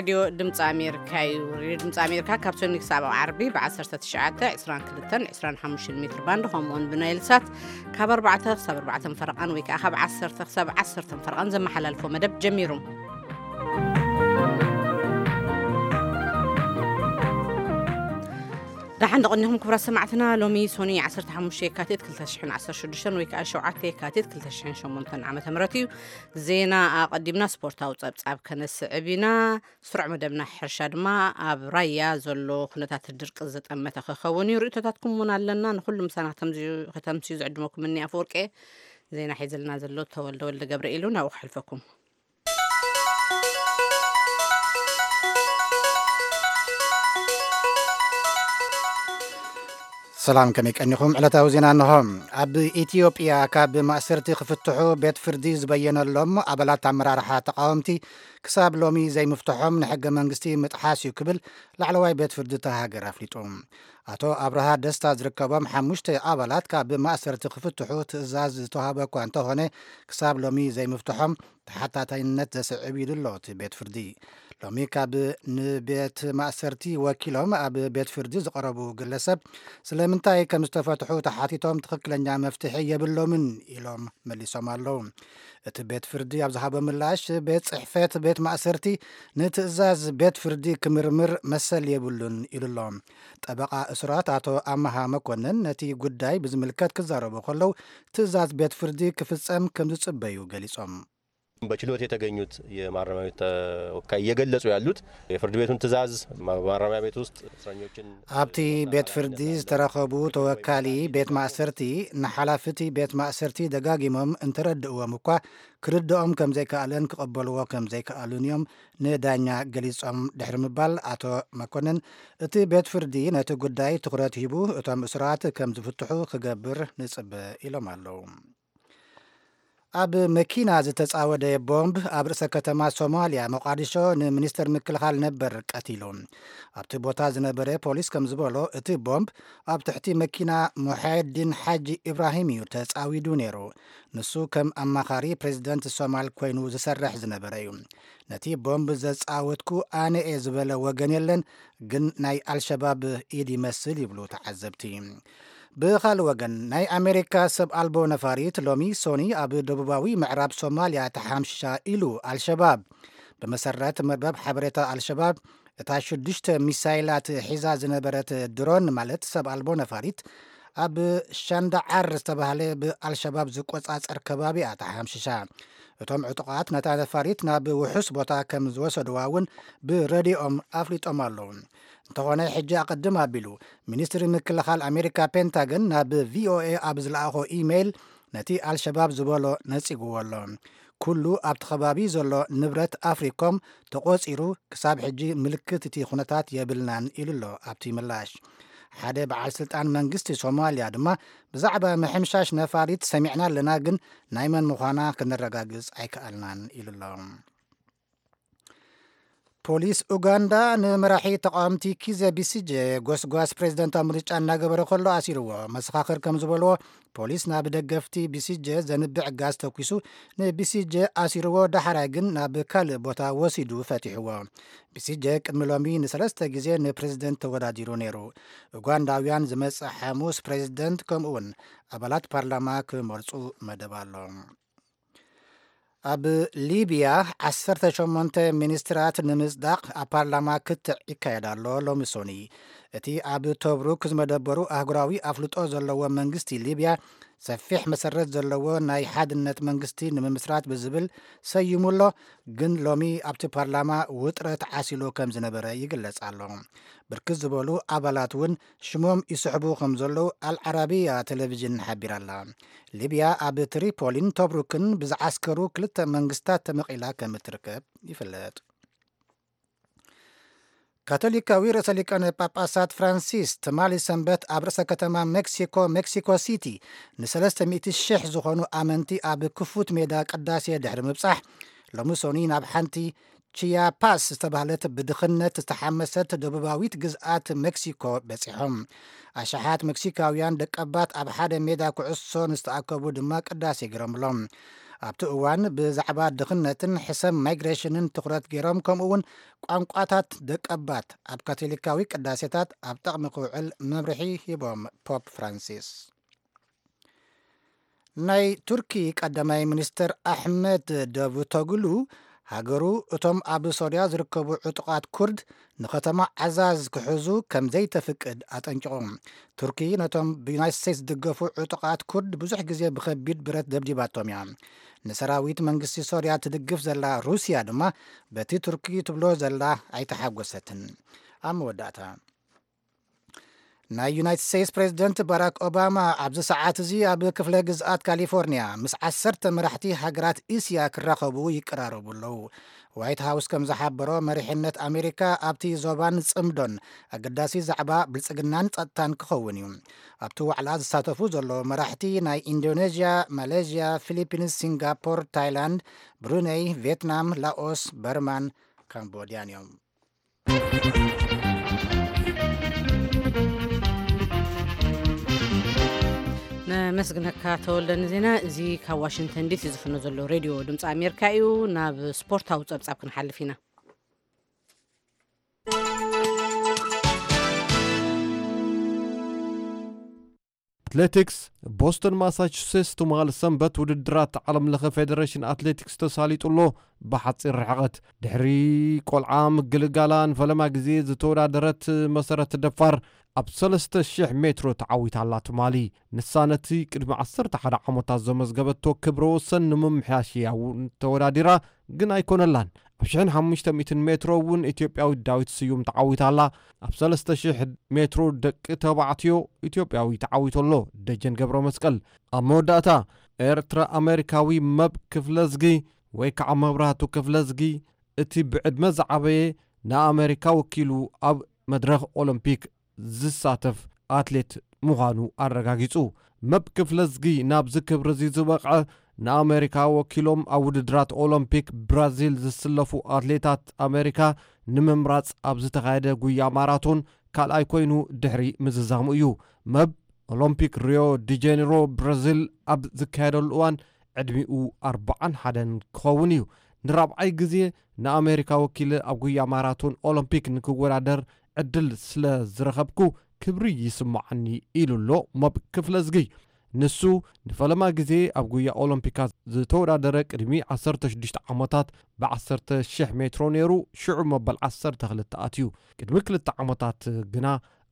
ሬድዮ ድምፂ ኣሜሪካ እዩ። ሬድዮ ድምፂ ኣሜሪካ ካብ ሰኒ ክሳብ ዓርቢ ብ19፣ 22፣ 25 ሜትር ባንድ፣ ከምኡውን ብናይል ሳት ካብ ኣርባዕተ ክሳብ ኣርባዕተ ፈረቓን ወይ ከዓ ካብ ዓሰርተ ክሳብ ዓሰርተ ፈረቓን ዘመሓላልፎ መደብ ጀሚሩ። ደሓን ደቐኒኹም ክቡራት ሰማዕትና። ሎሚ ሶኒ ዓሰርተ ሓሙሽተ የካቲት ክልተ ሽሕን ዓሰርተ ሽዱሽተን ወይ ከዓ ሸውዓተ የካቲት ክልተ ሽሕን ሸሞንተን ዓመተ ምህረት እዩ። ዜና ኣቐዲምና ስፖርታዊ ጸብጻብ ከነስዕብ ኢና። ስሩዕ መደብና ሕርሻ ድማ ኣብ ራያ ዘሎ ኩነታት ድርቂ ዘጠመተ ክኸውን እዩ። ርእይቶታትኩም እውን ኣለና። ንኹሉ ምሳና ከተምስዩ፣ ከተምስዩ ዝዕድመኩም እኒ ኣፈወርቄ። ዜና ሒዝልና ዘሎ ተወልደ ወልደ ገብርኤል እዩ። ናብኡ ክሕልፈኩም። ሰላም፣ ከመይ ቀኒኹም? ዕለታዊ ዜና እንሆ። ኣብ ኢትዮጵያ ካብ ማእሰርቲ ክፍትሑ ቤት ፍርዲ ዝበየነሎም ኣባላት ኣመራርሓ ተቃወምቲ ክሳብ ሎሚ ዘይምፍትሖም ንሕገ መንግስቲ ምጥሓስ እዩ ክብል ላዕለዋይ ቤት ፍርዲ እታ ሃገር ኣፍሊጡ። ኣቶ ኣብርሃ ደስታ ዝርከቦም ሓሙሽተ ኣባላት ካብ ማእሰርቲ ክፍትሑ ትእዛዝ ዝተዋህበ እኳ እንተኾነ፣ ክሳብ ሎሚ ዘይምፍትሖም ተሓታታይነት ዘስዕብ እዩ ኣሎ እቲ ቤት ፍርዲ። ሎሚ ካብ ንቤት ማእሰርቲ ወኪሎም ኣብ ቤት ፍርዲ ዝቐረቡ ግለሰብ፣ ስለምንታይ ከም ዝተፈትሑ ተሓቲቶም ትኽክለኛ መፍትሒ የብሎምን ኢሎም መሊሶም ኣለዉ። እቲ ቤት ፍርዲ ኣብ ዝሃቦ ምላሽ፣ ቤት ጽሕፈት ቤት ማእሰርቲ ንትእዛዝ ቤት ፍርዲ ክምርምር መሰል የብሉን ኢሉ ኣሎ። ጠበቓ እሱራት ኣቶ ኣመሃ መኮንን ነቲ ጉዳይ ብዝምልከት ክዛረቡ ከለዉ፣ ትእዛዝ ቤት ፍርዲ ክፍጸም ከም ዝጽበዩ ገሊጾም። በችሎት የተገኙት የማረሚያ ቤት ተወካይ እየገለጹ ያሉት የፍርድ ቤቱን ትእዛዝ፣ ማ-፣ ማረሚያ ቤት ውስጥ እስረኞችን፣ ኣብቲ ቤት ፍርዲ ዝተረኸቡ ተወካሊ ቤት ማእሰርቲ፣ ንሓላፍቲ ቤት ማእሰርቲ ደጋጊሞም እንተረድእዎም እኳ፣ ክርድኦም ከም ዘይከኣለን ክቐበልዎ ከም ዘይከኣሉን እዮም ንዳኛ ገሊጾም ድሕሪ ምባል፣ ኣቶ መኮንን፣ እቲ ቤት ፍርዲ ነቲ ጉዳይ ትኹረት ሂቡ እቶም እሱራት ከም ዝፍትሑ ክገብር ንጽበ ኢሎም ኣለዉ። ኣብ መኪና ዝተጻወደ ቦምብ ኣብ ርእሰ ከተማ ሶማልያ ሞቃዲሾ ንሚኒስተር ምክልኻል ነበር ቀቲሉ። ኣብቲ ቦታ ዝነበረ ፖሊስ ከም ዝበሎ፣ እቲ ቦምብ ኣብ ትሕቲ መኪና ሙሓየዲን ሓጂ ኢብራሂም እዩ ተጻዊዱ ነይሩ። ንሱ ከም ኣማኻሪ ፕሬዚደንት ሶማል ኮይኑ ዝሰርሕ ዝነበረ እዩ። ነቲ ቦምብ ዘጻወትኩ ኣነ እየ ዝበለ ወገን የለን፣ ግን ናይ ኣልሸባብ ኢድ ይመስል ይብሉ ተዓዘብቲ። ብኻልእ ወገን፣ ናይ ኣሜሪካ ሰብ ኣልቦ ነፋሪት ሎሚ ሶኒ ኣብ ደቡባዊ ምዕራብ ሶማልያ ተሓምሽሻ ኢሉ ኣልሸባብ። ብመሰረት መርበብ ሓበሬታ ኣልሸባብ፣ እታ ሽዱሽተ ሚሳይላት ሒዛ ዝነበረት ድሮን፣ ማለት ሰብ ኣልቦ ነፋሪት፣ ኣብ ሻንዳዓር ዝተባህለ ብኣልሸባብ ዝቆጻጸር ከባቢ እያ ተሓምሽሻ። እቶም ዕጡቓት ነታ ነፋሪት ናብ ውሑስ ቦታ ከም ዝወሰድዋ እውን ብረድዮኦም ኣፍሊጦም ኣለዉ። እንተኾነ፣ ሕጂ ኣቐድም ኣቢሉ፣ ሚኒስትሪ ምክልኻል ኣሜሪካ ፔንታገን ናብ ቪኦኤ ኣብ ዝለኣኾ ኢሜይል፣ ነቲ ኣልሸባብ ዝበሎ ነጺግዎ ኣሎ። ኩሉ ኣብቲ ከባቢ ዘሎ ንብረት ኣፍሪኮም ተቖጺሩ፣ ክሳብ ሕጂ ምልክት እቲ ኩነታት የብልናን ኢሉ ኣሎ ኣብቲ ምላሽ። ሓደ በዓል ስልጣን መንግስቲ ሶማልያ ድማ፣ ብዛዕባ ምሕምሻሽ ነፋሪት ሰሚዕና ኣለና፣ ግን ናይ መን ምዃና ክነረጋግጽ ኣይከኣልናን ኢሉ ኣሎ። ፖሊስ ኡጋንዳ ንመራሒ ተቃወምቲ ኪዘ ቢሲጀ ጎስጓስ ፕሬዝደንታዊ ምርጫ እናገበረ ከሎ ኣሲርዎ። መሰኻኽር ከም ዝበልዎ፣ ፖሊስ ናብ ደገፍቲ ቢሲጀ ዘንብዕ ጋዝ ተኩሱ ንቢሲጀ ኣሲርዎ፣ ዳሕራይ ግን ናብ ካልእ ቦታ ወሲዱ ፈቲሕዎ። ቢሲጀ ቅድሚ ሎሚ ንሰለስተ ግዜ ንፕሬዝደንት ተወዳዲሩ ነይሩ። ኡጋንዳውያን ዝመጽእ ሓሙስ ፕሬዝደንት ከምኡውን ኣባላት ፓርላማ ክመርጹ መደብ ኣሎ። ኣብ ሊብያ ዓሰርተ ሸሞንተ ሚኒስትራት ንምጽዳቕ ኣብ ፓርላማ ክትዕ ይካየድ ኣሎ ሎሚ ሶኒ። እቲ ኣብ ቶብሩክ ዝመደበሩ ኣህጉራዊ ኣፍልጦ ዘለዎ መንግስቲ ሊብያ፣ ሰፊሕ መሰረት ዘለዎ ናይ ሓድነት መንግስቲ ንምምስራት ብዝብል ሰይሙ ኣሎ። ግን ሎሚ ኣብቲ ፓርላማ ውጥረት ዓሲሉ ከም ዝነበረ ይግለጽ ኣሎ። ብርክት ዝበሉ ኣባላት እውን ሽሞም ይስሕቡ ከም ዘለዉ ኣልዓራቢያ ቴሌቪዥን ሓቢራ ኣላ። ሊብያ ኣብ ትሪፖሊን ቶብሩክን ብዝዓስከሩ ክልተ መንግስታት ተመቒላ ከም እትርከብ ይፍለጥ። ካቶሊካዊ ርእሰ ሊቃነ ጳጳሳት ፍራንሲስ ትማሊ ሰንበት ኣብ ርእሰ ከተማ ሜክሲኮ፣ ሜክሲኮ ሲቲ፣ ንሰለስተ ሚእቲ ሽሕ ዝኾኑ ኣመንቲ ኣብ ክፉት ሜዳ ቅዳሴ ድሕሪ ምብጻሕ፣ ሎሚ ሶኒ ናብ ሓንቲ ቺያፓስ ዝተባህለት ብድኽነት ዝተሓመሰት ደቡባዊት ግዝኣት ሜክሲኮ በጺሖም። ኣሽሓት ሜክሲካውያን ደቀባት ኣብ ሓደ ሜዳ ኩዕሶ ንዝተኣከቡ ድማ ቅዳሴ ገይሮምሎም። ኣብቲ እዋን ብዛዕባ ድኽነትን ሕሰም ማይግሬሽንን ትኹረት ገይሮም፣ ከምኡ እውን ቋንቋታት ደቀባት ኣብ ካቶሊካዊ ቅዳሴታት ኣብ ጥቕሚ ክውዕል መምርሒ ሂቦም ፖፕ ፍራንሲስ። ናይ ቱርኪ ቀዳማይ ሚኒስትር ኣሕመድ ዳቩቶግሉ፣ ሃገሩ እቶም ኣብ ሶርያ ዝርከቡ ዕጡቓት ኩርድ ንኸተማ ዓዛዝ ክሕዙ ከም ዘይተፍቅድ ኣጠንቂቑ። ቱርኪ ነቶም ብዩናይትድ ስቴትስ ዝድገፉ ዕጡቓት ኩርድ ብዙሕ ግዜ ብኸቢድ ብረት ደብዲባቶም እያ። ንሰራዊት መንግስቲ ሶርያ ትድግፍ ዘላ ሩስያ ድማ በቲ ቱርኪ ትብሎ ዘላ ኣይተሓጎሰትን። ኣብ መወዳእታ፣ ናይ ዩናይትድ ስቴትስ ፕሬዚደንት ባራክ ኦባማ ኣብዚ ሰዓት እዚ ኣብ ክፍለ ግዝኣት ካሊፎርኒያ ምስ ዓሰርተ መራሕቲ ሃገራት እስያ ክራኸቡ ይቀራረቡ ኣለዉ። ዋይት ሃውስ ከም ዝሓበሮ፣ መሪሕነት ኣሜሪካ ኣብቲ ዞባን ጽምዶን ኣገዳሲ ዛዕባ ብልጽግናን ጸጥታን ክኸውን እዩ። ኣብቲ ዋዕላ ዝሳተፉ ዘለዉ መራሕቲ ናይ ኢንዶኔዥያ፣ ማሌዥያ፣ ፊሊፒንስ፣ ሲንጋፖር፣ ታይላንድ፣ ብሩነይ፣ ቪየትናም፣ ላኦስ፣ በርማን ካምቦድያን እዮም። ነመስግነካ ተወልደ ንዜና እዚ። ካብ ዋሽንግተን ዲሲ ዝፍኖ ዘሎ ሬድዮ ድምፂ ኣሜሪካ እዩ። ናብ ስፖርታዊ ፀብፃብ ክንሓልፍ ኢና። ኣትሌቲክስ፣ ቦስተን ማሳቹሴትስ ትማሊ ሰንበት ውድድራት ዓለም ለኸ ፌደሬሽን ኣትሌቲክስ ተሳሊጡ ኣሎ። ብሓፂር ርሕቐት ድሕሪ ቆልዓ ምግልጋላ ንፈለማ ግዜ ዝተወዳደረት መሰረት ደፋር ኣብ ሰለስተ ሽሕ ሜትሮ ተዓዊታ ኣላ ትማሊ። ንሳ ነቲ ቅድሚ ዓሰርተ ሓደ ዓመታት ዘመዝገበቶ ክብረ ወሰን ንምምሕያሽ እያ እውን ተወዳዲራ፣ ግን ኣይኮነላን። ኣብ ሽሕን ሓሙሽተ ሚእትን ሜትሮ እውን ኢትዮጵያዊት ዳዊት ስዩም ተዓዊታ ኣላ። ኣብ ሰለስተ ሽሕ ሜትሮ ደቂ ተባዕትዮ ኢትዮጵያዊ ተዓዊቱ ኣሎ፣ ደጀን ገብረ መስቀል። ኣብ መወዳእታ፣ ኤርትራ ኣሜሪካዊ መብ ክፍለዝጊ ወይ ከዓ መብራህቱ ክፍለዝጊ፣ እቲ ብዕድመ ዝዓበየ፣ ንኣሜሪካ ወኪሉ ኣብ መድረኽ ኦሎምፒክ ዝሳተፍ ኣትሌት ምዃኑ ኣረጋጊጹ። መብ ክፍለዝጊ ናብዚ ክብሪ እዚ ዝበቕዐ፣ ንኣሜሪካ ወኪሎም ኣብ ውድድራት ኦሎምፒክ ብራዚል ዝስለፉ ኣትሌታት ኣሜሪካ ንምምራጽ ኣብ ዝተኻየደ ጉያ ማራቶን ካልኣይ ኮይኑ ድሕሪ ምዝዛሙ እዩ። መብ ኦሎምፒክ ሪዮ ዲ ጄኔሮ ብራዚል ኣብ ዝካየደሉ እዋን ዕድሚኡ ኣርብዓን ሓደን ክኸውን እዩ። ንራብዓይ ግዜ ንኣሜሪካ ወኪለ ኣብ ጉያ ማራቶን ኦሎምፒክ ንክወዳደር ዕድል ስለ ዝረኸብኩ ክብሪ ይስምዓኒ ኢሉ ኣሎ መብ ክፍለዝጊ። ንሱ ንፈለማ ግዜ ኣብ ጉያ ኦሎምፒካት ዝተወዳደረ ቅድሚ ዓሰርተ ሽዱሽተ ዓመታት ብ ዓሰርተ ሽሕ ሜትሮ ነይሩ፣ ሽዑ መበል ዓሰርተ ክልተ ኣትዩ። ቅድሚ ክልተ ዓመታት ግና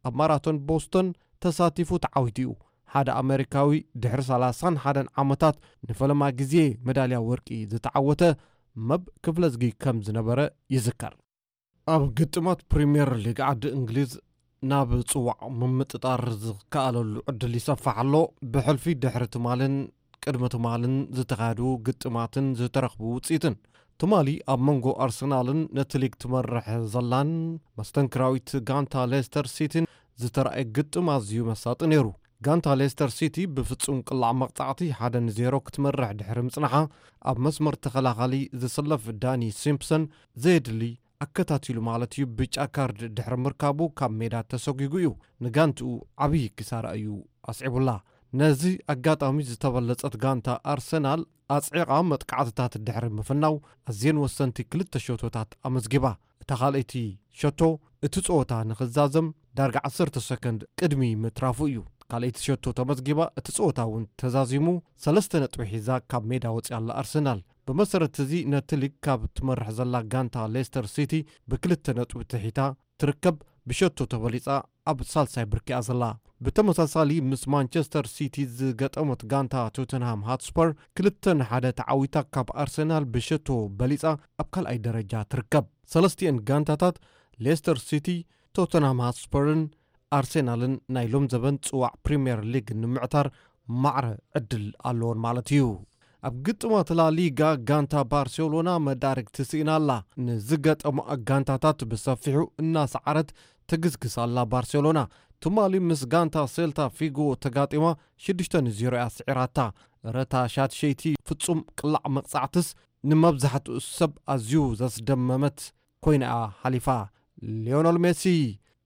ኣብ ማራቶን ቦስቶን ተሳቲፉ ተዓዊቱ እዩ። ሓደ ኣሜሪካዊ ድሕሪ ሰላሳን ሓደን ዓመታት ንፈለማ ግዜ መዳልያ ወርቂ ዝተዓወተ መብ ክፍለዝጊ ከም ዝነበረ ይዝከር። ኣብ ግጥማት ፕሪምየር ሊግ ዓዲ እንግሊዝ ናብ ጽዋዕ ምምጥጣር ዝከኣለሉ ዕድል ይሰፍሕ ኣሎ። ብሕልፊ ድሕሪ ትማልን ቅድሚ ትማልን ዝተኻየዱ ግጥማትን ዝተረኽቡ ውጽኢትን። ትማሊ ኣብ መንጎ ኣርሰናልን ነቲ ሊግ ትመርሕ ዘላን መስተንክራዊት ጋንታ ሌስተር ሲቲን ዝተራእየ ግጥም ኣዝዩ መሳጢ ነይሩ። ጋንታ ሌስተር ሲቲ ብፍጹም ቅላዕ መቕጻዕቲ ሓደ ንዜሮ ክትመርሕ ድሕሪ ምጽናሓ፣ ኣብ መስመር ተኸላኻሊ ዝስለፍ ዳኒ ሲምፕሰን ዘየድሊ ኣከታቲሉ ማለት እዩ ብጫ ካርድ ድሕሪ ምርካቡ ካብ ሜዳ ተሰጒጉ እዩ። ንጋንትኡ ዓብዪ ኪሳራ እዩ ኣስዒቡላ። ነዚ ኣጋጣሚ ዝተበለጸት ጋንታ ኣርሰናል ኣጽዒቓ መጥቃዕትታት ድሕሪ ምፍናው ኣዝየን ወሰንቲ ክልተ ሸቶታት ኣመዝጊባ። እታ ካልኣይቲ ሸቶ እቲ ጸወታ ንኽዛዘም ዳርጋ ዓሰርተ ሰከንድ ቅድሚ ምትራፉ እዩ። ካልኣይቲ ሸቶ ተመዝጊባ፣ እቲ ጸወታ እውን ተዛዚሙ፣ ሰለስተ ነጥቢ ሒዛ ካብ ሜዳ ወጺኣ ኣላ ኣርሰናል። ብመሰረት እዚ ነቲ ሊግ ካብ ትመርሕ ዘላ ጋንታ ሌስተር ሲቲ ብክልተ ነጥቢ ትሒታ ትርከብ፣ ብሸቶ ተበሊጻ ኣብ ሳልሳይ ብርኪ እያ ዘላ። ብተመሳሳሊ ምስ ማንቸስተር ሲቲ ዝገጠመት ጋንታ ቶተንሃም ሃትስፐር ክልተ ንሓደ ተዓዊታ ካብ ኣርሰናል ብሸቶ በሊጻ ኣብ ካልኣይ ደረጃ ትርከብ። ሰለስቲኤን ጋንታታት ሌስተር ሲቲ፣ ቶተንሃም ሃትስፐርን ኣርሰናልን ናይ ሎም ዘበን ጽዋዕ ፕሪምየር ሊግ ንምዕታር ማዕረ ዕድል ኣለዎን ማለት እዩ። ኣብ ግጥማት ላ ሊጋ ጋንታ ባርሴሎና መዳርግቲ ስኢና ኣላ። ንዝገጠሙ ጋንታታት ብሰፊሑ እናሰዓረት ትግስግስ ኣላ ባርሴሎና። ትማሊ ምስ ጋንታ ሴልታ ፊጎ ተጋጢማ ሽዱሽተ ንዜሮ እያ ስዒራታ። ረታ ሻትሸይቲ ፍጹም ቅላዕ መቕጻዕትስ ንመብዛሕትኡ ሰብ ኣዝዩ ዘስደመመት ኮይና እያ ሓሊፋ። ሊዮነል ሜሲ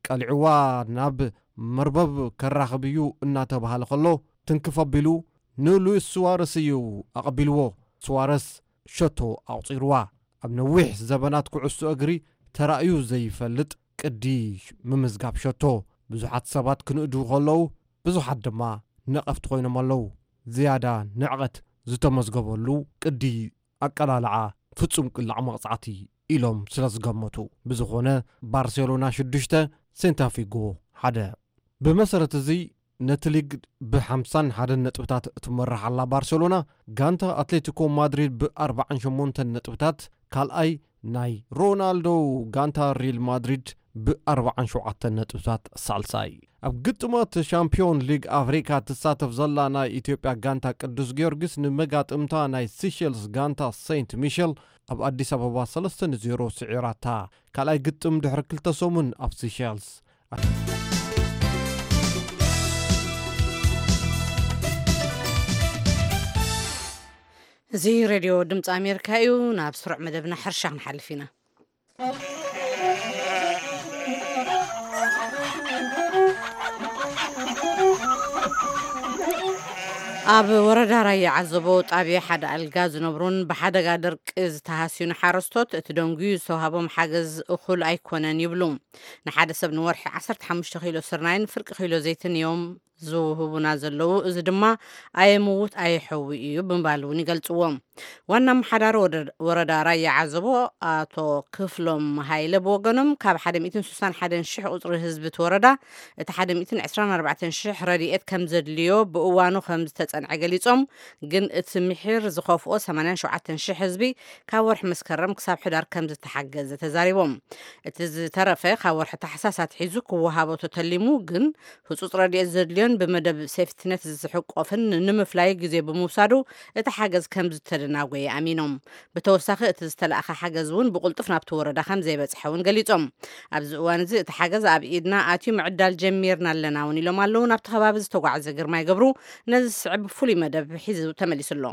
ቀሊዕዋ ናብ መርበብ ከራኽብ እዩ እናተባህለ ከሎ ትንክፍ ኣቢሉ ንሉዊስ ሱዋረስ እዩ ኣቐቢልዎ። ቱዋረስ ሸቶ ኣቑጺርዋ። ኣብ ነዊሕ ዘበናት ኩዕሶ እግሪ ተራእዩ ዘይፈልጥ ቅዲ ምምዝጋብ ሸቶ። ብዙሓት ሰባት ክንእድዉ ከለዉ፣ ብዙሓት ድማ ነቐፍቲ ኮይኖም ኣለዉ። ዝያዳ ንዕቐት ዝተመዝገበሉ ቅዲ ኣቀላልዓ ፍጹም ቅላዕ መቕጻዕቲ ኢሎም ስለ ዝገመቱ። ብዝኾነ፣ ባርሴሎና ሽዱሽተ፣ ሴንታፊጎ ሓደ። ብመሰረት እዚ፣ ነቲ ሊግ ብ ሓምሳን ሓደን ነጥብታት እትመርሕ ኣላ ባርሴሎና፣ ጋንታ ኣትሌቲኮ ማድሪድ ብ ኣርባዓን ሸሞንተን ነጥብታት ካልኣይ፣ ናይ ሮናልዶ ጋንታ ሪል ማድሪድ ብ ኣርባዓን ሸውዓተን ነጥብታት ሳልሳይ። ኣብ ግጥማት ሻምፒዮን ሊግ ኣፍሪካ ትሳተፍ ዘላ ናይ ኢትዮጵያ ጋንታ ቅዱስ ጊዮርጊስ ንመጋጥምታ ናይ ሲሸልስ ጋንታ ሴንት ሚሸል ኣብ ኣዲስ ኣበባ ሰለስተ ንዜሮ ስዒራታ። ካልኣይ ግጥም ድሕሪ ክልተ ሰሙን ኣብ ሲሸልስ። እዚ ሬድዮ ድምፂ ኣሜሪካ እዩ። ናብ ስሩዕ መደብና ሕርሻ ክንሓልፍ ኢና። ኣብ ወረዳ ራያ ዓዘቦ ጣብያ ሓደ ኣልጋ ዝነብሩን ብሓደጋ ደርቂ ዝተሃስዩን ሓረስቶት፣ እቲ ደንጉዩ ዝተዋህቦም ሓገዝ እኹል ኣይኮነን ይብሉ። ንሓደ ሰብ ንወርሒ ዓሰርተ ሓሙሽተ ኪሎ ስርናይን ፍርቂ ኪሎ ዘይትን እዮም ዝውህቡና ዘለዉ። እዚ ድማ ኣየምውት ኣየሕዊ እዩ ብምባል እውን ይገልጽዎ። ዋና ኣመሓዳሪ ወደ-፣ ወረዳ ራያ ዓዘቦ ኣቶ ክፍሎም ሃይለ ብወገኖም፣ ካብ ሓደ ሚእትን ስሳን ሓደን ሽሕ ቁጽሪ ህዝቢ እቲ ወረዳ፣ እቲ ሓደ ሚእትን ዕስራን ኣርባዕተን ሽሕ ረድኤት ከም ዘድልዮ ብእዋኑ ከም ዝተጸንዐ ገሊጾም፣ ግን እቲ ምሒር ዝኸፍኦ ሰማንያን ሸውዓተን ሽሕ ህዝቢ ካብ ወርሒ መስከረም ክሳብ ሕዳር ከም ዝተሓገዘ ተዛሪቦም። እቲ ዝተረፈ ካብ ወርሒ ታሕሳስ ኣትሒዙ ክወሃቦ ተተሊሙ፣ ግን ህጹጽ ረድኤት ዘድልዮን ብመደብ ሴፍትነት ዝሕቆፍን ንምፍላይ ግዜ ብምውሳዱ፣ እቲ ሓገዝ ከም ዝተደናጎየ ኣሚኖም። ብተወሳኺ፣ እቲ ዝተላእኸ ሓገዝ እውን ብቕልጡፍ ናብቲ ወረዳ ከም ዘይበጽሐ እውን ገሊጾም። ኣብዚ እዋን እዚ እቲ ሓገዝ ኣብ ኢድና ኣትዩ ምዕዳል ጀሚርና ኣለና እውን ኢሎም ኣለዉ። ናብቲ ከባቢ ዝተጓዕዘ ግርማይ ገብሩ ነዚ ዝስዕብ ፍሉይ መደብ ሒዙ ተመሊሱ ኣሎ።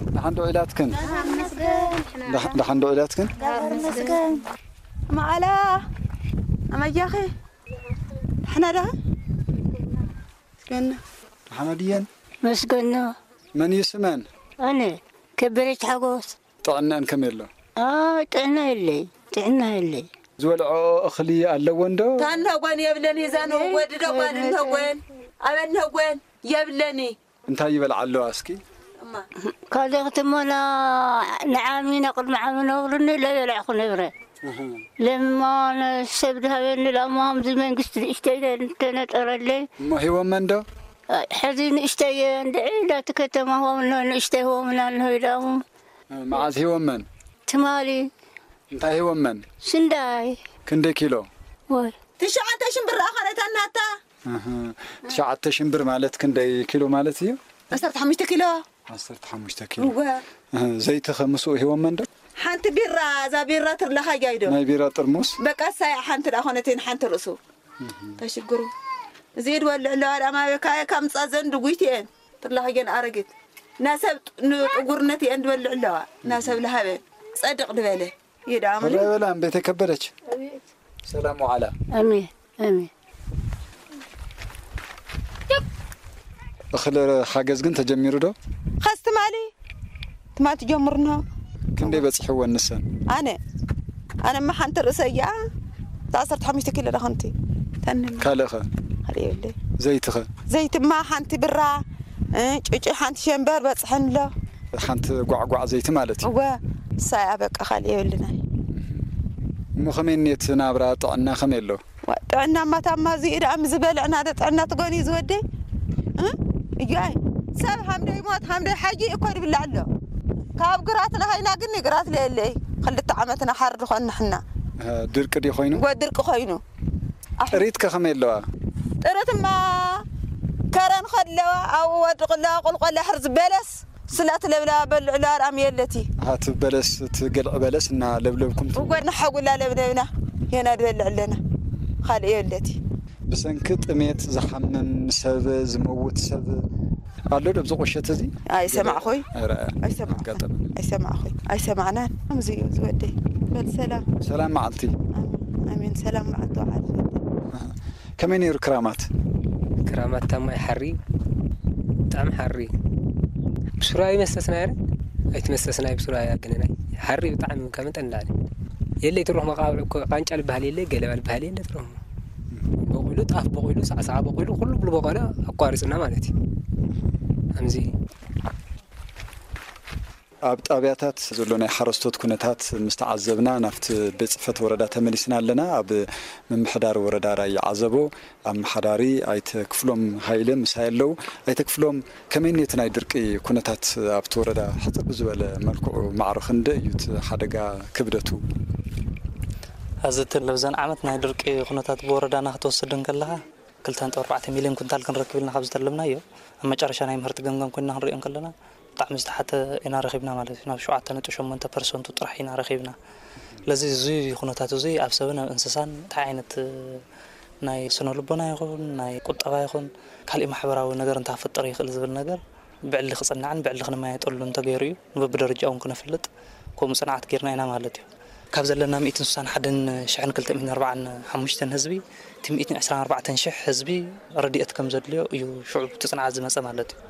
ደሓን ዶ ኢላትክን? ደሓን መስገን። ደሓ-፣ ደሓን ዶ ኢላትክን? ደሓን መስገን። መዓላ፣ ኣመጃኺ? ደሓና ደኻ? መስገን። ደሓና ድየን? መስገን። መን እዩ ስመን? ኣነ ከበደች ሓጎስ። ጥዕናን ከመይ ኣሎ? ኣ፣ ጥዕና የለይ፣ ጥዕና የለይ። ዝበልዖ እኽሊ ኣለወን ዶ? ታነጎን የብለኒ፣ እዛ ነው ወዲ ደጓል እነጎን፣ ኣበ እነጎን የብለኒ። እንታይ ይበልዓ ኣለዋ እስኪ? እማ። ካልእ ክትሞላ ንዓሚ፣ ንቕድሚ ዓሚ ነብርኒ ለየለዕኹ ነብረ። እህ። ለማ ነሰብ ድሃበኒ ላማ፣ ከምዚ መንግስቲ ንእሽተይ እንተነጠረለይ። እሞ ሂቦመን ዶ? ኣይ፣ ሕዚ ንእሽተይ እየ፣ እንድዒ እንዳቲ ከተማ ሂቦምና፣ ንእሽተይ ሂቦምና እንሆ ኢሎም። እ፣ መዓዝ ሂቦመን? ትማሊ። እንታይ ሂቦመን? ስንዳይ። ክንደይ ኪሎ? ወይ። ትሽዓተ ሽን ብር ኣኸለታ እናታ። እህ፣ ትሽዓተ ሽን ብር ማለት ክንደይ ኪሎ ማለት እዩ? ዓሰርተ ሓሙሽተ ኪሎ። ዓሰርተ ሓሙሽተ ኪሎ። እወ። እህ፣ ዘይቲ ኸ ምስኡ ሂቦመን ዶ? ሓንቲ ቢራ፣ እዛ ቢራ ትርለኻ እያ ኢዶ። ናይ ቢራ ጥርሙስ? በቃ እሳያ ሓንቲ ደኣ ኾነትን ሓንቲ ርእሱ። እህ። ተሽግሩ። እዚ ኢድ ወልዕ ኣለዋ ደኣ ማበካ እየ ካብ ምጻ ዘንድ ጉይቲ እየን። ትርለኻ እየን ኣረጊት። ናሰብ ጥ-፣ ንጥጉርነት እየን ድበልዕ ኣለዋ። ናሰብ ለሃበ። ጸድቕ ድበለ። ይዳምሉ። ሆራ በላ እምቤት የከበደች። ሰላም ወዓላ። ኣሜን፣ ኣሜን። እኽሊ ሓገዝ ግን ተጀሚሩ ዶ? ኸስ ትማሊ፣ ትማሊ ትጀምርኖ። ክንደይ በጺሕወን ንሰን? ኣነ፣ ኣነማ ሓንቲ ርእሰያ፣ እታ ዓሰርተ ሓሙሽተ ኪሎ ዳኸንቲ። ተንን። ካልእኸ? ካልእ የብለይ። ዘይትኸ? ዘይትማ ሓንቲ ብራ፣ እ፣ ጭጭ ሓንቲ ሸንበር በጽሐን ኣሎ። ሓንቲ ጓዕጓዕ ዘይቲ ማለት እዩ። እወ፣ እሳ እያ በቃ፣ ካልእ የብልናይ። እሞ ከመይ እኒኤት ናብራ፣ ጥዕና ከመይ ኣሎ? ዋ፣ ጥዕና ማታማ እዚ ኢዳ ምስ ዝበልዕና ዶ ጥዕና ትጎኒ ዝወደይ? እ? እያይ፣ ሰብ ሃምደይ ሞት፣ ሃምደይ ሓጂ እኮ ድብላዕ ኣሎ። ካብ ግራት ለሃይና ግን ግራት ለየለይ። ክልተ ዓመትና ሓር ድኾን ንሕና። እ፣ ድርቂ ድዩ ኮይኑ? እወ፣ ድርቂ ኮይኑ። ኣሕ- ጥሪት ከ ከመይ ኣለዋ? ጥሪትማ ከረን ከለዋ ኣብኡ ወድቕ ኣለዋ፣ ቁልቆል ኣሕር ዝበለስ ስላ ትለብላ በልዕላ ኣርኣም የለቲ። ኣሃ፣ እቲ በለስ፣ እቲ ገልዒ በለስ እና ለብለብኩም ት- እወ፣ ንሓጉላ ለብለብና፣ ሄና ድበልዕ ኣለና። ካልእ የለቲ። ብሰንኪ ጥሜት ዝሓምም ሰብ፣ ዝመውት ሰብ ኣሎ ዶ ኣብዚ ቁሸት እዚ? ኣይሰማዕኹይ። ኣይረኣያ። ኣይሰማዕኹይ። ኣጋጠመ። ኣይሰማዕኹይ። ኣይሰማዕናን። ከምዚ እዩ ዝወደይ። በል ሰላም። ሰላም መዓልቲ። ኣሜን። ኣሜን። ሰላም መዓልቲ ወዓል። ኣሃ። ከመይ ነይሩ ክራማት? ክራማት ታማይ ሓሪ፣ ብጣዕሚ ሓሪ። ብስሩይ ኣይመሰስና ረ ኣይትመሰስና ብስሩይ ኣያገነናይ። ሓሪ ብጣዕሚ ከመጠን ላለ የለ ትሮኽ መቃብዕ እኮ ቃንጫ ልበሃል የለ ገለባ ልበሃል የለ ትሮኽ። በቑሉ ጣፍ በቑሉ ሳዕሳዓ በቑሉ ኩሉ ብሉ በቆለ ኣቋሪፅና ማለት እዩ። ከምዚ ኣብ ጣብያታት ዘሎ ናይ ሓረስቶት ኩነታት ምስ ተዓዘብና ናብቲ ቤት ፅሕፈት ወረዳ ተመሊስና ኣለና። ኣብ ምምሕዳር ወረዳ ራያ ዓዘቦ ኣመሓዳሪ ኣይተ ክፍሎም ሃይለ ምሳይ ኣለዉ። ኣይተ ክፍሎም፣ ከመይ ነቲ ናይ ድርቂ ኩነታት ኣብቲ ወረዳ ሕፅር ብዝበለ መልክዑ ማዕረ ክንደይ እዩ እቲ ሓደጋ ክብደቱ? እዚ እቲ ለብዘን ዓመት ናይ ድርቂ ኩነታት ብወረዳና ክትወስድ እንከለኻ ክልተ ነጥቢ ኣርባዕተ ሚልዮን ኩንታል ክንረክብ ኢልና ካብ ዝተለምናዮ ኣብ መጨረሻ ናይ ምህርቲ ገምጋም ኮይና ክንሪኦ እንከለና ብጣዕሚ ዝተሓተ ኢና ረኺብና ማለት እዩ። ናብ ሸውዓተ ነጥቢ ሸሞንተ ፐርሰንቱ ጥራሕ ኢና ረኺብና። ስለዚ እዚ ኩነታት እዚ ኣብ ሰብን ኣብ እንስሳን እንታይ ዓይነት ናይ ስነ ልቦና ይኹን ናይ ቁጠባ ይኹን ካሊእ ማሕበራዊ ነገር እንታይ ክፈጥር ይኽእል ዝብል ነገር ብዕሊ ክፅናዕን ብዕሊ ክንመያየጠሉን ተገይሩ እዩ። ንበብደረጃ እውን ክነፍልጥ ከምኡ ፅንዓት ጌርና ኢና ማለት እዩ። ካብ ዘለና ሚእትን ስሳን ሓደን ሽሕን ክልተ ሚእትን ኣርባዓን ሓሙሽተን ህዝቢ እቲ ሚእትን ዕስራን ኣርባዕተን ሽሕ ህዝቢ ረድኤት ከም ዘድልዮ እዩ ሽዑ እቲ ፅንዓት ዝመፀ ማለት እዩ።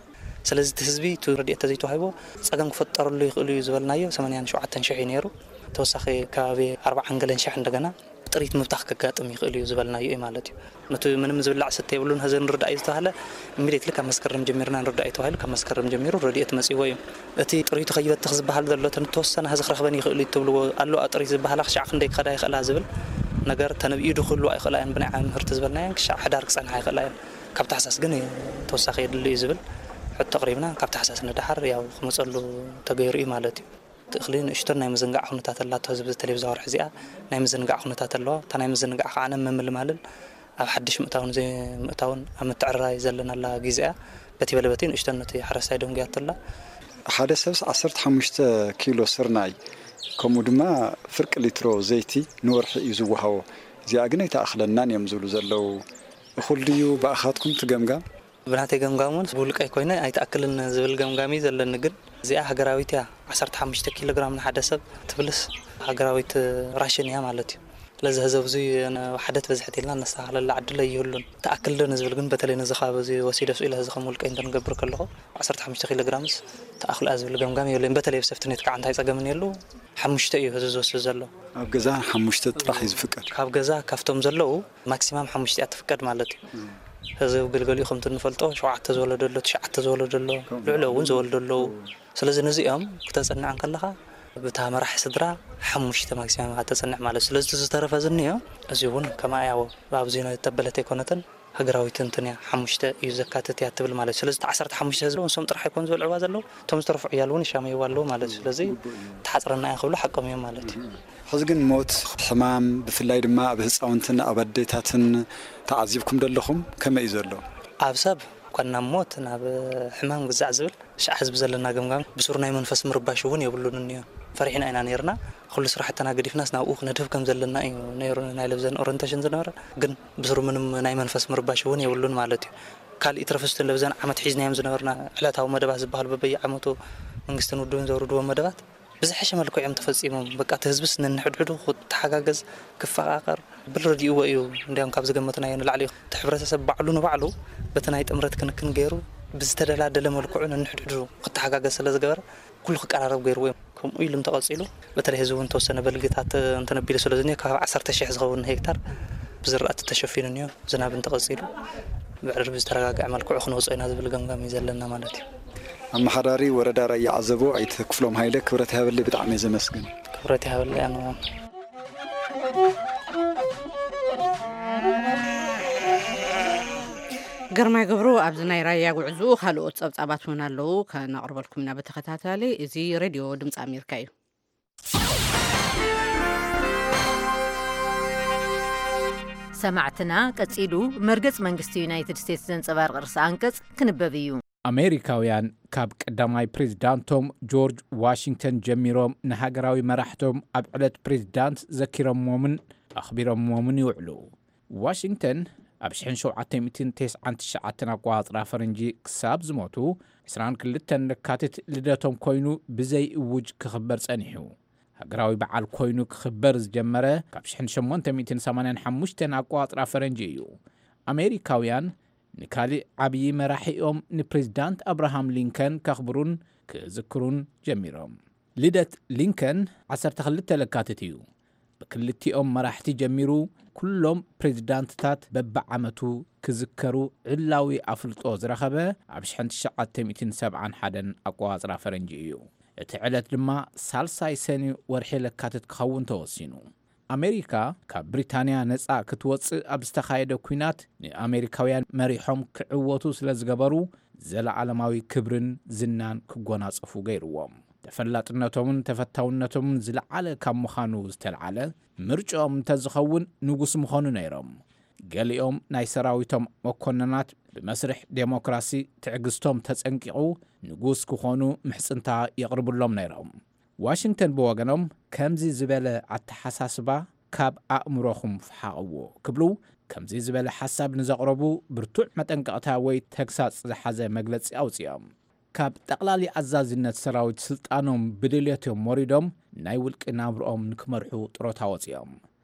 ስለዚ እቲ ህዝቢ እቲ ረድኤት ተዘይተዋሂቦ ፀገም ክፈጠረሉ ይኽእሉ እዩ ዝበልናዮ ሰማንያን ሸውዓተን ሽሕ እዩ ነይሩ። ተወሳኺ ከባቢ ኣርባዓን ገለን ሽሕ እንደገና ጥሪት ምብታኽ ከጋጥም ይኽእል እዩ ዝበልናዮ እዩ ማለት እዩ። ነቲ ምንም ዝብላዕ ስተ የብሉን ሀዘ ንርዳእ እዩ ዝተባህለ ኢሚዲየትሊ ካብ መስከረም ጀሚርና ንርዳእ እዩ ተባሂሉ ካብ መስከረም ጀሚሩ ረድኤት መፂዎ እዩ። እቲ ጥሪቱ ከይበትኽ ዝበሃል ዘሎ እቲ ንተወሰነ ሀዚ ክረኽበን ይኽእሉ እዩ ትብልዎ ኣሎ ጥሪት ዝበሃላ ክሻዕ ክንደይ ክኸዳ ይኽእላ ዝብል ነገር ተነብዩ ዶ ክህልዋ ይኽእላ እየን ብናይ ዓሚ ምህርቲ ዝበልናየን ክሻዕ ሕዳር ክፀንሓ ይኽእላ እየን። ካብ ታሕሳስ ግን ተወሳኺ የድሊ እዩ ዝብል ሕቶ ኣቕሪብና ካብ ታሕሳስ ንደሓር ያው ክመፀሉ ተገይሩ እዩ ማለት እዩ። እቲ እኽሊ ንእሽቶን ናይ ምዝንጋዕ ኩነታት ኣላቶ ህዝቢ ተለይ ብዛ ወርሒ እዚኣ ናይ ምዝንጋዕ ኩነታት ኣለዋ። እታ ናይ ምዝንጋዕ ከዓ ነ ምምልማልን ኣብ ሓድሽ ምእታውን ዘይምእታውን ኣብ ምትዕርራይ ዘለናላ ግዜ እያ። በቲ በለ በቲ ንእሽቶን ነቲ ሓረስታይ ደንጉያቶ ኣላ። ሓደ ሰብስ ዓሰርተ ሓሙሽተ ኪሎ ስርናይ ከምኡ ድማ ፍርቂ ሊትሮ ዘይቲ ንወርሒ እዩ ዝወሃቦ። እዚኣ ግን ኣይተኣኽለናን እዮም ዝብሉ ዘለዉ። እኹል ድዩ ብኣኻትኩም ትገምጋም? ብናተይ ገምጋም እውን ብውልቀይ ኮይነ ኣይትኣክልን ዝብል ገምጋም እዩ ዘለኒ። ግን እዚኣ ሃገራዊት እያ። ዓሰርተ ሓሙሽተ ኪሎ ግራም ንሓደ ሰብ ትብልስ ሃገራዊት ራሽን እያ ማለት እዩ። ስለዚ ህዘብ እዚ ሓደ ትበዝሐት ኢልና ነስተኻኸለላ ዕድል ኣይህሉን። ትኣክል ዶ ንዝብል ግን በተለይ ነዚ ከባቢ እዚ ወሲደ ስኢለ እዚ ከም ውልቀይ እንተንገብር ከለኹ ዓሰርተ ሓሙሽተ ኪሎ ግራምስ ትኣኽል እያ ዝብል ገምጋም የብለይን። በተለይ ኣብ ሰፍትኔት ከዓ እንታይ ፀገም እኒሀሉ ሓሙሽተ እዩ ህዝቢ ዝወስድ ዘሎ። ኣብ ገዛ ሓሙሽተ ጥራሕ እዩ ዝፍቀድ። ካብ ገዛ ካብቶም ዘለዉ ማክሲማም ሓሙሽተ እያ ትፍቀድ ማለት እዩ። ህዝቢ ግልገሊኡ ከምቲ እንፈልጦ ሸውዓተ ዝወለደ ኣሎ፣ ትሽዓተ ዝወለደ ኣሎ፣ ልዕሊኡ እውን ዝወልዱ ኣለዉ። ስለዚ ነዚኦም ክተፅንዕ እንከለኻ ብታ መራሒ ስድራ ሓሙሽተ ማክሲማም ኢኻ ተፅንዕ ማለት እዩ። ስለዚ እቲ ዝተረፈ ዝኒኦ እዚ እውን ከማያ ኣብዚ ተበለት ኣይኮነትን ሃገራዊት እንትን እያ ሓሙሽተ እዩ ዘካትት እያ ትብል ማለት እዩ። ስለዚ እቲ ዓሰርተ ሓሙሽተ ህዝቢ ንሶም ጥራሕ ኣይኮኑ ዘልዕዋ ዘለዉ እቶም ዝተረፉ ዕያል እውን ይሻመይዋ ኣለዉ ማለት እዩ። ስለዚ ተሓፅረና እያ ክብሉ ሓቆም እዮም ማለት እዩ። ሕዚ ግን ሞት፣ ሕማም፣ ብፍላይ ድማ ኣብ ህፃውንትን ኣብ ኣዴታትን ተዓዚብኩም ደለኹም? ከመይ እዩ ዘሎ? ኣብ ሰብ እኳ ናብ ሞት ናብ ሕማም ግዛዕ ዝብል ሻዕ ህዝቢ ዘለና ገምጋም ብሱር ናይ መንፈስ ምርባሽ እውን የብሉን እኒዮ። ፈሪሕና ኢና ነይርና። ኩሉ ስራሕትና ገዲፍናስ ናብኡ ክነድህብ ከም ዘለና እዩ ነይሩ ናይ ለብዘን ኦሪንቴሽን ዝነበረ። ግን ብሱር ምንም ናይ መንፈስ ምርባሽ እውን የብሉን ማለት እዩ። ካልእ ትረፍስትን ለብዘን ዓመት ሒዝናዮም ዝነበርና ዕለታዊ መደባት ዝበሃሉ በበየዓመቱ መንግስትን ውድብን ዘውርድዎም መደባት ብዝሐሸ መልክዑ እዮም ተፈፂሞም። በቃ እቲ ህዝብስ ነንሕድሕዱ ክተሓጋገዝ፣ ክፈቓቐር ብል ረዲእዎ እዩ። እንዲያውም ካብ ዝገመትናዮ ንላዕሊ እዩ። እቲ ሕብረተሰብ ባዕሉ ንባዕሉ በቲ ናይ ጥምረት ክንክን ገይሩ ብዝተደላደለ መልክዑ ነንሕድሕዱ ክተሓጋገዝ ስለ ዝገበረ ኩሉ ክቀራረብ ገይርዎ እዩ። ከምኡ ኢሉ እንተቐፂሉ በተለይ ህዝቢ እውን ተወሰነ በልግታት እንተነቢሉ ስለ ዝኒኦ ካብ ዓሰርተ ሽሕ ዝኸውን ሄክታር ብዝራእቲ ተሸፊኑ እኒኦ። ዝናብ እንተቐፂሉ ብዕርቢ ዝተረጋግዐ መልክዑ ክንወፅኦ ኢና ዝብል ገምጋም እዩ ዘለና ማለት እዩ። ኣመሓዳሪ ወረዳ ራያ ዓዘቦ ኣይተ ክፍሎም ሃይለ ክብረት ይሃበለይ ብጣዕሚ እየ ዘመስግን። ክብረት ይሃበለይ ኣነ እውን። ግርማይ ገብሩ ኣብዚ ናይ ራያ ጉዕዝኡ ካልኦት ጸብጻባት እውን ኣለዉ ከነቕርበልኩም ኢና ብተኸታታሊ። እዚ ሬድዮ ድምፂ ኣሜሪካ እዩ። ሰማዕትና ቀጺሉ መርገጽ መንግስቲ ዩናይትድ ስቴትስ ዘንጸባርቕ ርእሰ ኣንቀጽ ክንበብ እዩ። ኣሜሪካውያን ካብ ቀዳማይ ፕሬዝዳንቶም ጆርጅ ዋሽንግተን ጀሚሮም ንሃገራዊ መራሕቶም ኣብ ዕለት ፕሬዝዳንት ዘኪሮምዎምን ኣኽቢሮምዎምን ይውዕሉ። ዋሽንግተን ኣብ ሽሕን ሸውዓተ ሚእትን ተስዓን ትሽዓተን ኣቆጻጽራ ፈረንጂ ክሳብ ዝሞቱ ዕስራን ክልተን ለካቲት ልደቶም ኮይኑ ብዘይ እውጅ ክኽበር ጸኒሑ። ሃገራዊ በዓል ኮይኑ ክኽበር ዝጀመረ ካብ ሽሕን ሸሞንተ ሚእትን ሰማንያን ሓሙሽተን ኣቆጻጽራ ፈረንጂ እዩ። ኣሜሪካውያን ንካሊእ ዓብዪ መራሒኦም ንፕሬዝዳንት ኣብርሃም ሊንከን ከኽብሩን ክዝክሩን ጀሚሮም። ልደት ሊንከን ዓሰርተ ክልተ ለካቲት እዩ። ብክልቲኦም መራሕቲ ጀሚሩ ኩሎም ፕሬዚዳንትታት በብዓመቱ ክዝከሩ ዕላዊ ኣፍልጦ ዝረኸበ ኣብ ሸሕን ትሽዓተ ሚእትን ሰብዓን ሓደን ኣቆጻጽራ ፈረንጂ እዩ። እቲ ዕለት ድማ ሳልሳይ ሰኒ ወርሒ ለካቲት ክኸውን ተወሲኑ። ኣሜሪካ ካብ ብሪታንያ ነጻ ክትወጽእ ኣብ ዝተኻየደ ኲናት ንኣሜሪካውያን መሪሖም ክዕወቱ ስለ ዝገበሩ ዘለዓለማዊ ክብርን ዝናን ክጎናጸፉ ገይርዎም። ተፈላጥነቶምን ተፈታውነቶምን ዝለዓለ ካብ ምዃኑ ዝተልዓለ ምርጫኦም እንተዝኸውን ንጉስ ምኾኑ ነይሮም። ገሊኦም ናይ ሰራዊቶም መኮንናት ብመስርሕ ዴሞክራሲ ትዕግስቶም ተጸንቂቑ ንጉስ ክኾኑ ምሕጽንታ የቕርብሎም ነይሮም። ዋሽንግተን ብወገኖም ከምዚ ዝበለ ኣተሓሳስባ ካብ ኣእምሮኹም ፍሓቕዎ ክብሉ ከምዚ ዝበለ ሓሳብ ንዘቕረቡ ብርቱዕ መጠንቀቕታ ወይ ተግሳጽ ዝሓዘ መግለጺ ኣውጺኦም። ካብ ጠቕላሊ ኣዛዝነት ሰራዊት ስልጣኖም ብድልየቶም ወሪዶም ናይ ውልቂ ናብርኦም ንክመርሑ ጥሮታ ወጺኦም።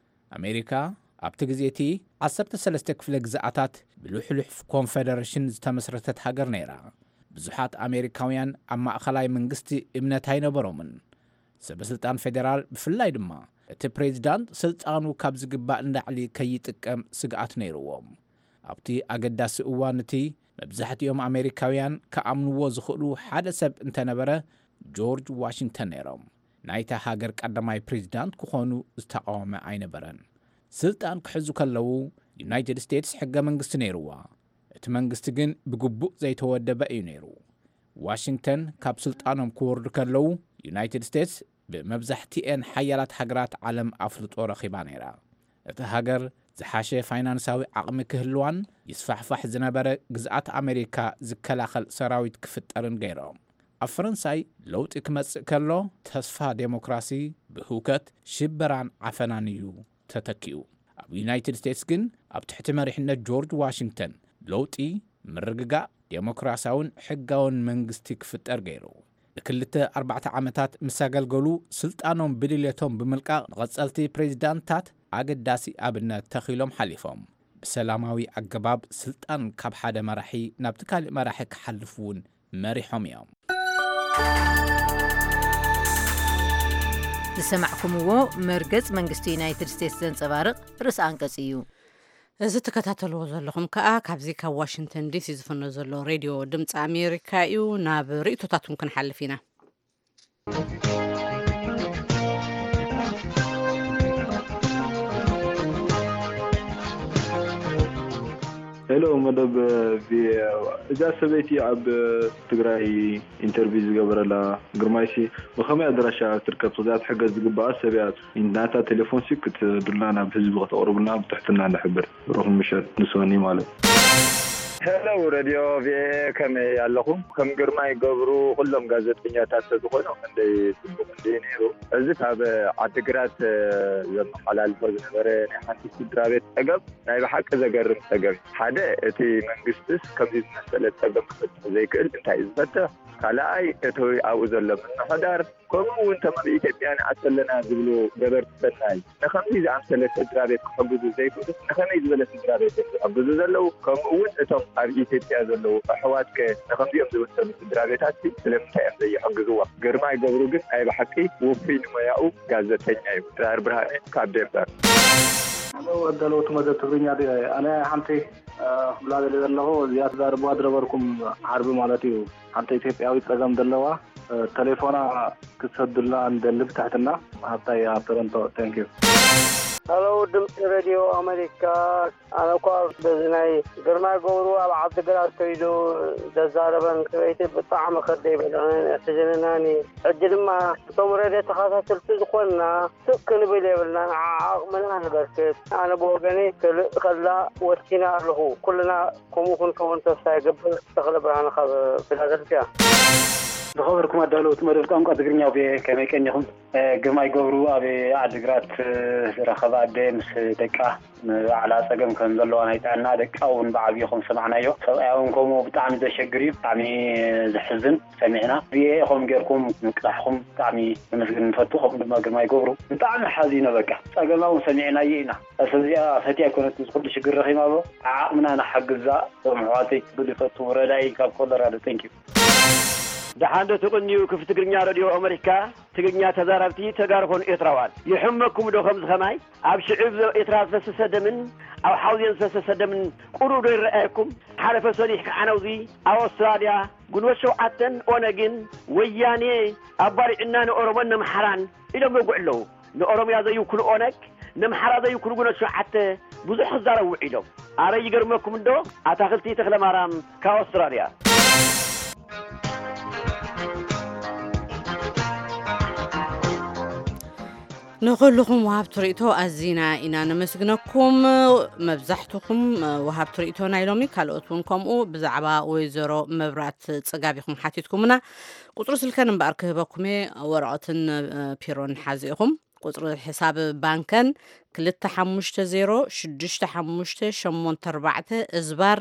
ኣሜሪካ ኣብቲ ግዜ እቲ ዓሰርተ ሰለስተ ክፍለ ግዝኣታት ብልሕሉሕ ኮንፌደሬሽን ዝተመስረተት ሃገር ነይራ። ብዙሓት ኣሜሪካውያን ኣብ ማእኸላይ መንግስቲ እምነት ኣይነበሮምን። ሰበ ስልጣን ፌዴራል ብፍላይ ድማ እቲ ፕሬዚዳንት ስልጣኑ ካብ ዝግባእ ንላዕሊ ከይጥቀም ስግኣት ነይርዎም። ኣብቲ ኣገዳሲ እዋን እቲ መብዛሕትኦም ኣሜሪካውያን ክኣምንዎ ዝኽእሉ ሓደ ሰብ እንተነበረ ጆርጅ ዋሽንግተን ነይሮም። ናይታ ሃገር ቀዳማይ ፕሬዚዳንት ክኾኑ ዝተቃወመ ኣይነበረን። ስልጣን ክሕዙ ከለዉ ዩናይትድ ስቴትስ ሕገ መንግስቲ ነይርዋ። እቲ መንግስቲ ግን ብግቡእ ዘይተወደበ እዩ ነይሩ። ዋሽንግተን ካብ ስልጣኖም ክወርዱ ከለዉ ዩናይትድ ስቴትስ ብመብዛሕትኤን ሓያላት ሃገራት ዓለም ኣፍልጦ ረኺባ ነይራ። እቲ ሃገር ዝሓሸ ፋይናንሳዊ ዓቕሚ ክህልዋን ይስፋሕፋሕ ዝነበረ ግዝኣት ኣሜሪካ ዝከላኸል ሰራዊት ክፍጠርን ገይሮም። ኣብ ፈረንሳይ ለውጢ ክመጽእ ከሎ ተስፋ ዴሞክራሲ ብህውከት ሽበራን ዓፈናን እዩ ተተኪኡ። ኣብ ዩናይትድ ስቴትስ ግን ኣብ ትሕቲ መሪሕነት ጆርጅ ዋሽንግተን ለውጢ ምርግጋእ ዴሞክራሲያውን ሕጋውን መንግስቲ ክፍጠር ገይሩ። ንክልተ ኣርባዕተ ዓመታት ምስ ኣገልገሉ ስልጣኖም ብድልየቶም ብምልቃቕ ንቐጸልቲ ፕሬዚዳንታት ኣገዳሲ ኣብነት ተኺሎም ሓሊፎም። ብሰላማዊ ኣገባብ ስልጣን ካብ ሓደ መራሒ ናብቲ ካልእ መራሒ ክሓልፍ እውን መሪሖም እዮም። ዝሰማዕኩምዎ መርገጽ መንግስቲ ዩናይትድ ስቴትስ ዘንጸባርቕ ርእሲ ኣንቀጽ እዩ። እዚ ትከታተልዎ ዘለኹም ከኣ ካብዚ ካብ ዋሽንግተን ዲሲ ዝፍኖ ዘሎ ሬድዮ ድምፂ ኣሜሪካ እዩ። ናብ ርእይቶታትኩም ክንሓልፍ ኢና። ሄሎ መደብ ቪኦኤ፣ እዛ ሰበይቲ ኣብ ትግራይ ኢንተርቪው ዝገበረላ ግርማይሲ ብኸመይ ኣድራሻ ትርከብ? ክዛት ሕገዝ ዝግባኣ ሰብ እያ። ናታ ቴሌፎንሲ ክትዱልና ናብ ህዝቢ ከተቕርቡልና ብትሕትና ንሕብር። ሩኹም ምሸት ንስወኒ ማለት። ሄሎ ረድዮ ቪኦኤ፣ ከመይ ኣለኹም? ከም ግርማይ ገብሩ ኩሎም ጋዜጠኛታት ተዝኾኑ ክንደይ ጽቡቕ እንዲ ነይሩ። እዚ ካብ ዓድግራት ዘመሓላልፎ ዝነበረ ናይ ሓንቲ ስድራ ቤት ጸገም ናይ ብሓቂ ዘገርም ጸገም። ሓደ እቲ መንግስትስ ከምዚ ዝመሰለ ጸገም ክፈትሕ ዘይክእል እንታይ እዩ ዝፈትሕ? ካልኣይ እቲ ኣብኡ ዘሎ ምምሕዳር ከምኡ እውን ተመን ኢትዮጵያ ንኣት ኣለና ዝብሉ ገበርቲ ሰናይ ንከምዚ ዝኣምሰለ ስድራ ቤት ክሕግዙ ዘይክእሉስ ንከመይ ዝበለ ስድራ ቤት እዮም ዝሕግዙ ዘለዉ? ከምኡ እውን እቶም ኣብ ኢትዮጵያ ዘለዉ ኣሕዋትከ ንከምዚኦም ዝመሰሉ ስድራ ቤታትሲ ስለምንታይ እዮም ዘይሕግዝዎም? ግርማይ ገብሩ ግን ናይ ብሓቂ ውፉይ ንሞያኡ ጋዜጠኛ እዩ። ድራር ብርሃነ ካብ ዴንቨር። ኣዳለውቲ መደብ ትግርኛ ድዮ? ኣነ ሓንቲ ክብላ ደልየ ዘለኹ እዚኣ ትዛረብዋ ዝነበርኩም ዓርቢ ማለት እዩ። ሓንቲ ኢትዮጵያዊት ጸገም ዘለዋ ተሌፎና ክትሰዱልና ንደሊ ብትሕትና። ሃብታይ ኣብ ቶሮንቶ። Thank you። ሄሎ ድምፂ ሬድዮ ኣሜሪካ፣ ኣነ እኳ በዚ ናይ ግርማይ ገብሩ ኣብ ዓዲ ግራት ከይዱ ዘዛረበን ሰበይቲ ብጣዕሚ ከደይ በልዕን ሕዝንናኒ። ሕጂ ድማ እቶም ሬድዮ ተኸታተልቲ ዝኾንና ስቅ ክንብል የብልናን፣ ዓዓቕምና ንበርክት። ኣነ ብወገነይ ክልእ ከላ ወሲነ ኣለኹ። ኩልና ከምኡ ክንከውን ተስፋ ይገብር። ተኽለ ብርሃነ ካብ ፊላደልፊያ። ዝኸበርኩም ኣዳለውቲ መደብ ቋንቋ ትግርኛ ቪኦኤ ከመይ ቀኒኹም? ግርማይ ገብሩ ኣብ ዓዲግራት ዝረኸበ ኣደ ምስ ደቃ ንባዕላ ጸገም ከም ዘለዋ ናይ ጥዕና ደቃ እውን ብዓብዩ ከም ዝሰማዕናዮ ሰብኣያ እውን ከምኡ ብጣዕሚ ዘሸግር እዩ። ብጣዕሚ ዘሕዝን ሰሚዕና ቪኦኤ ከም ጌርኩም ምቅላሕኩም ብጣዕሚ ነመስግን ንፈቱ። ከምኡ ድማ ግርማይ ገብሩ ብጣዕሚ ሓዚነ በቃ ጸገማ እውን ሰሚዕናዮ ኢና። እዚኣ ፈትያ ኣይኮነትን እዚ ኩሉ ሽግር ረኺባ ኣሎ። ዓዓቕምና ንሓግዛ እቶም ኣሕዋተይ ክብል ይፈቱ። ረዳኢ ካብ ኮሎራዶ። Thank you። ደሓን ዶ ትቕንዩ? ክፍቲ ትግርኛ ሬድዮ ኣመሪካ፣ ትግርኛ ተዛረብቲ ተጋሩ ኾኑ ኤርትራውያን። ይሕመኩም ዶ ከምዚ ኸማይ? ኣብ ሽዕብ ኤርትራ ዝፈሰሰ ደምን ኣብ ሓውዜን ዝፈሰሰ ደምን ቁሩብ ዶ ይረኣየኩም? ሓለፈ ሰኒሕ ከዓነውዚ ኣብ ኣውስትራልያ ግንቦት ሸውዓተን ኦነግን ወያኔ ኣባሪዕና ንኦሮሞን ነምሓራን ኢሎም ይወግዑ ኣለዉ። ንኦሮምያ ዘይውክሉ ኦነግ፣ ነምሓራ ዘይውክሉ ግንቦት ሸውዓተ ብዙሕ ክዛረቡ ውዒሎም። ኣረ ይገርመኩም እንዶ ኣታኽልቲ ተኽለማርያም ካብ ኣውስትራልያ። ንኹልኹም ወሃብቲ ርእይቶ ኣዚና ኢና ነመስግነኩም። መብዛሕትኹም ወሃብቲ ርእይቶ ናይ ሎሚ፣ ካልኦት እውን ከምኡ፣ ብዛዕባ ወይዘሮ መብራት ጽጋብ ኢኹም ሓቲትኩምና። ቁጽሪ ስልከን እምበኣር ክህበኩም እየ፣ ወረቐትን ፒሮን ሓዚ ኢኹም። ቁጽሪ ሕሳብ ባንከን ክልተ ሓሙሽተ ዜሮ ሽዱሽተ ሓሙሽተ ሸሞንተ ኣርባዕተ እዝባር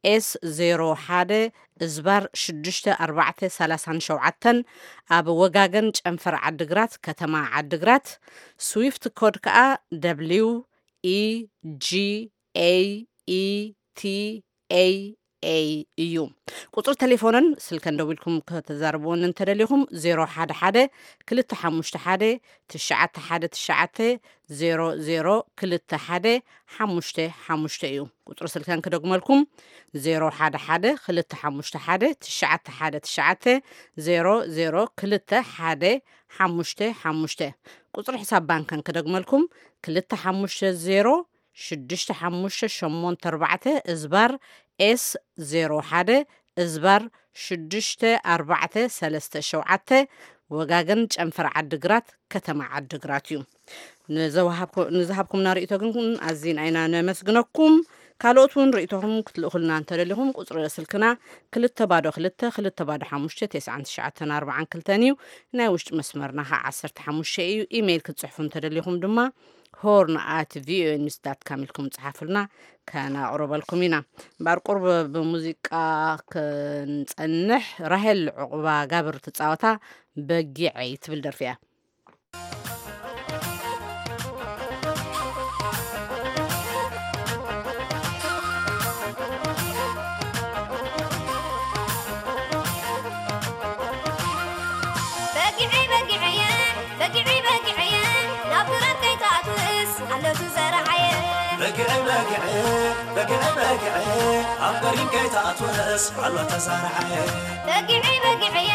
ኤስ ዜሮ ሓደ እዝባር ሽዱሽተ ኣርባዕተ ሰላሳን ሸውዓተን፣ ኣብ ወጋገን ጨንፈር ዓድግራት፣ ከተማ ዓድግራት። ስዊፍት ኮድ ከኣ ደብሊው ኢ ጂ ኤ ኢ ቲ ኤ ኤ እዩ። ቁጽሪ ቴሌፎነን ስልከን ደዊልኩም ከተዛርብወን እንተደሊኹም፣ ዜሮ ሓደ ሓደ ክልተ ሓሙሽተ ሓደ ትሽዓተ ሓደ ትሽዓተ ዜሮ ዜሮ ክልተ ሓደ ሓሙሽተ ሓሙሽተ እዩ። ቁጽሪ ስልከን ክደግመልኩም፣ ዜሮ ሓደ ሓደ ክልተ ሓሙሽተ ሓደ ትሽዓተ ሓደ ትሽዓተ ዜሮ ዜሮ ክልተ ሓደ ሓሙሽተ ሓሙሽተ። ቁጽሪ ሕሳብ ባንከን ክደግመልኩም፣ ክልተ ሓሙሽተ ዜሮ ሽዱሽተ ሓሙሽተ ሸሞንተ ኣርባዕተ እዝባር ኤስ ዜሮ ሓደ እዝባር ሽዱሽተ ኣርባዕተ ሰለስተ ሸውዓተ፣ ወጋገን ጨንፈር ዓድግራት፣ ከተማ ዓድግራት እዩ። ንዘወሃብኩ-፣ ንዝሃብኩምና ርእይቶ ግን ኣዚና ኢና ነመስግነኩም። ካልኦት እውን ርእይቶኹም ክትልእኹልና እንተደሊኹም፣ ቁጽሪ ስልክና ክልተ ባዶ ክልተ ክልተ ባዶ ሓሙሽተ ተስዓን ትሽዓተን ኣርባዓን ክልተን እዩ። ናይ ውሽጢ መስመርና ኸዓ ዓሰርተ ሓሙሽተ እዩ። ኢሜይል ክትጽሕፉ እንተደሊኹም ድማ ሆርን ኣት ቪኦኤ ኒውስ ዳት ካም ኢልኩም ጽሓፉልና፣ ከናቕርበልኩም ኢና። እምበኣር ቁርብ ብሙዚቃ ክንጸንሕ፣ ራሄል ዑቕባ ጋብር ትጻወታ በጊዐይ ትብል ደርፊ እያ። በጊዐይ በጊዐየ፣ በጊዐይ በጊዐየ፣ ናብ ዱረት ከይትኣትውስ ኣሎ ትዘርዓየ። በጊዐይ በጊዐየ፣ በጊዐይ በጊዐየ፣ ኣብ ገሪም ከይትኣትውስ ኣሎ ተዘርዓየ። በጊዐይ በጊዐየ፣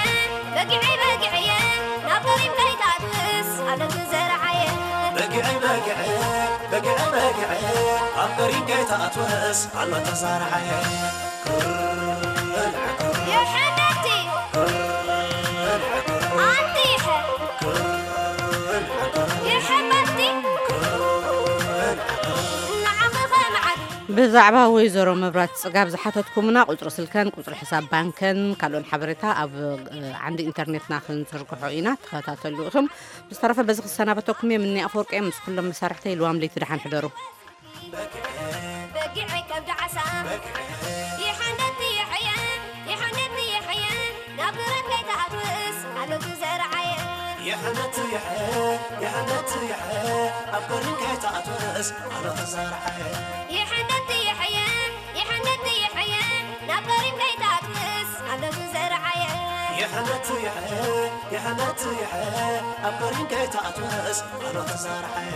በጊዐይ በጊዐየ፣ ናብ ገሪም ከይትኣትውስ ኣሎ ትዘርዓየ። በጊዐይ በጊዐየ፣ በጊዐይ በጊዐየ፣ ኣብ ገሪም ከይትኣትውስ ኣሎ ተዘርዓየ። የሕነቲ ኣንቲ ይሐ ይሐ በቲ ንዓኺ ኸምዓት ብዛዕባ ወይዘሮ መብራት ጽጋብ ዝሓተትኩምና፣ ቁጽሪ ስልከን ቁጽሪ ሕሳብ ባንከን ካልኦን ሓበሬታ ኣብ፣ እ፣ ዓንዲ ኢንተርኔትና ክንዝርግሖ ኢና። ተኸታተሉ ኢኹም። ብዝተረፈ በዚ ክሰናበተኩም እየ። ምኒ ኣፈወርቂ እየ ምስ ኩሎም መሳርሕተይ። ልዋም ለይቲ ደሓን ሕደሩ። በጊዐይ ከብዲ ዓሳ ይሓንደቲ ይሕየ፣ ይሓንደቲ ይሕየ፣ ናብ ብረት ከይትኣትውስ ኣሎ ትዘርዓየ። የሕነት የሐ፣ የሕነት የሐ፣ ኣብ ገሪም ከይትኣትውስ ኣሎ ተዘርዓየ። የሕነት የሐየ፣ የሕነት የሐየ፣ ናብ ገሪም ከይትኣትውስ ኣሎ ትዘርዓየ። የሕነት የሐ፣ የሕነት የሐ፣ ኣብ ገሪም ከይትኣትውስ ኣሎ ተዘርዓየ።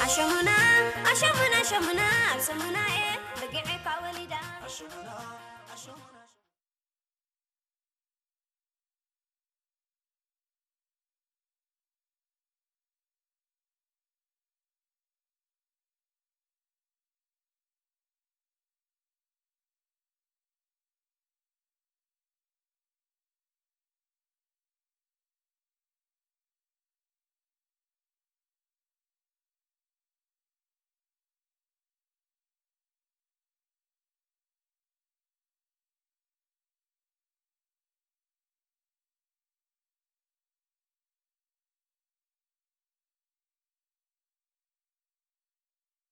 ኣሸሙና፣ ኣሸሙና፣ ኣሸሙና፣ ኣብ ሰሙና እየ በጊዐካ ወሊዳ። ኣሸሙና፣ ኣሸሙና፣